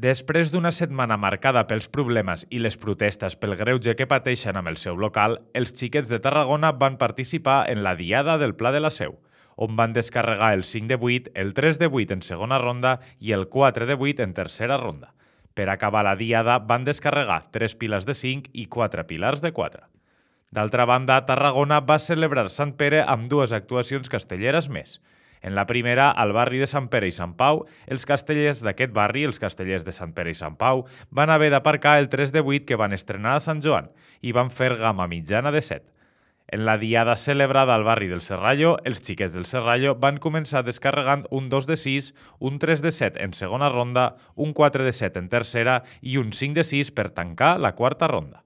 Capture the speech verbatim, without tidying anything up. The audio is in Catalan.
Després d'una setmana marcada pels problemes i les protestes pel greuge que pateixen amb el seu local, els xiquets de Tarragona van participar en la Diada del Pla de la Seu, on van descarregar el cinc de vuit, el tres de vuit en segona ronda i el quatre de vuit en tercera ronda. Per acabar la Diada van descarregar tres piles de cinc i quatre pilars de quatre. D'altra banda, Tarragona va celebrar Sant Pere amb dues actuacions castelleres més. En la primera, al barri de Sant Pere i Sant Pau, els castellers d'aquest barri, els castellers de Sant Pere i Sant Pau, van haver d'aparcar el tres de vuit que van estrenar a Sant Joan i van fer gamma mitjana de set. En la diada celebrada al barri del Serrallo, els xiquets del Serrallo van començar descarregant un dos de sis, un tres de set en segona ronda, un quatre de set en tercera i un cinc de sis per tancar la quarta ronda.